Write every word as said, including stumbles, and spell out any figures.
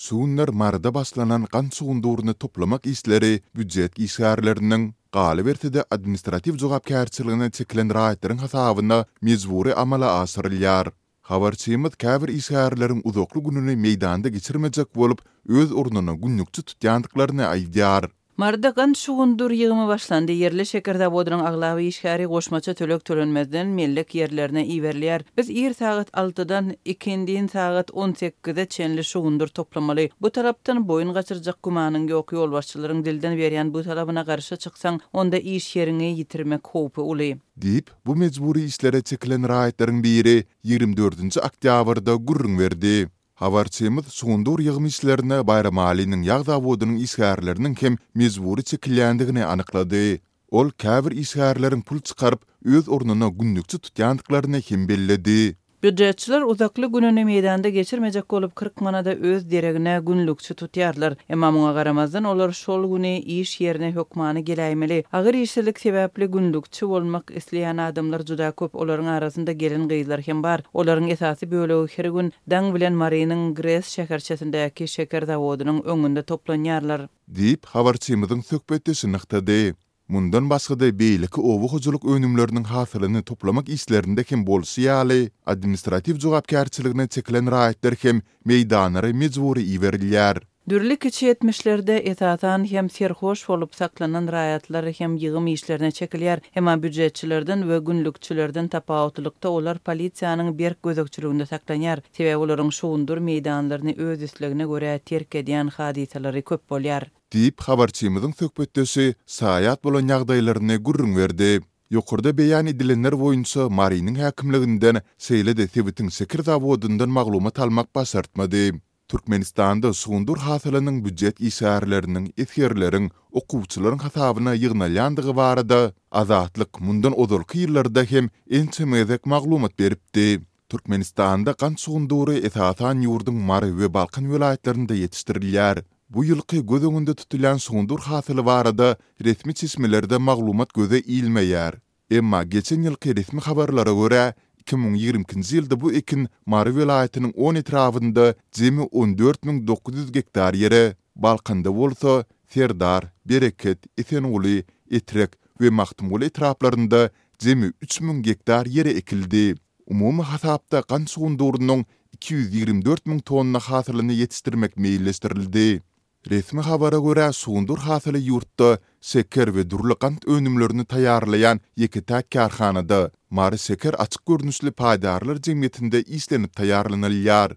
Şu günler Maryda başlanan gant şugundyryny toplamak işleri býujet işgärleriniň, galyberse-de administratiw jogapkärçiligine çekilen raýatlaryň hasabyna mejbury amala aşyrylýar. Habarçymyz käbir işgärleriň uzakly gününi meýdanda geçirmejek bolup, öz ornuna günlükçi tutýandyklaryny aýdýar. Maryda gant şugundyr ýygymy başlandy. Ýerli şeker zawodynyň aglaba işgäri goşmaça töleg tölenmezden mellek ýerlerine iberilýär. Biz ir sagat altydan ikindin sagat on sekize çenli şugundyr toplamaly. Bu talapdan boýun gaçyrjak gümanyň ýok. Ýolbaşçylaryň dilden berýän bu talabyna garşy çyksaň, onda iş ýeriňi ýitirmek howpy uly. Diýip, bu mejbury işlere çekilen raýatlaryň biri ýigrimi dördünji oktýabrda gürrüň berdi. Habarçymyz şugundyr ýygym işlerine Baýramalynyň ýag zawodynyň işgärleriniň hem mejbury çekilýändigini anyklady. Ol käbir işgärleriň pul çykaryp, öz ornuna günlükçi tutýandyklaryny hem belledi. Býujetçiler uzakly gününi meýdanda geçirmejek bolup, kyrk manada öz deregine günlükçi tutýarlar. Emma muňa garamazdan olar şol güni iş ýerine hökmany geläýmeli. Agyr işsizlik sebäpli günlükçi bolmak isleýän adamlar juda köp, olaryň arasynda gelin-gyzlar hem bar. Olaryň esasy bölegi her gün daň bilen Marynyň GRES şäherçesindäki şeker zawodynyň öňünde toplanýarlar. Diýip, habarçymyzyň söhbetdeşi nygtady. Mundan başga-da beýleki oba hojalyk önümleriniň hasylyny toplamak işlerinde hem bolşy ýaly, administratiw jogapkärçiligine çekilen raýatlar hem meýdanlara mejbury iberilýär. Dürli kiçi etmişlerde esasan hem serhoş bolup saklanan raýatlar hem ýygym işlerine çekilýär. Emma býujetçilerden we günlükçilerden tapawutlylykda olar polisiýanyň berk gözegçiliginde saklanýar. Sebäbi olaryň şugundyr meýdanlaryny öz islegine görä terk edýän hadysalary köp bolýar. Diýip, habarçymyzyň söhbetdeşi şaýat bolan ýagdaýlaryny gürrüň berdi. Ýokarda beýan edilenler boýunça Marynyň häkimliginden, şeýle-de sebitiň şeker zawodyndan maglumat almak başartmady. Türkmenistanda şugundyr hasylynyň býujet işgärleriniň, esgerleriň, okuwçylaryň hasabyna ýygnalýandygy barada Azatlyk mundan ozalky ýyllarda hem ençeme gezek maglumat beripdi. Türkmenistanda gant şugundyry esasan ýurduň Mary we Balkan welaýatlarynda ýetişdirilýär. Bu ýylky göz öňünde tutulýan şugundyr hasyly barada resmi çeşmelerde maglumat göze ilmeýär. Emma geçen ýylky resmi habarlara görä, iki müň ýigrimi ikinji ýylda bu ekin Mary welaýatynyň on etrabynda jemi on dört müň dokuz ýüz gektar ýere, Balkanda bolsa Serdar, Bereket, Esenguly, Etrek we Magtymguly etraplarynda jemi üç müň gektar ýere ekildi. Umumy hasapda gant şugundyrynyň iki ýüz ýigrimi dört müň tonna hasylyny ýetişdirmek meýilleşdirildi. Resmi habara görä, şugundyr hasyly ýurtda şeker we dürli gant önümlerini taýýarlaýan ýeke-täk kärhanada, Mary şeker açyk görnüşli paýdarlar jemgyýetinde işlenip taýýarlanylýar.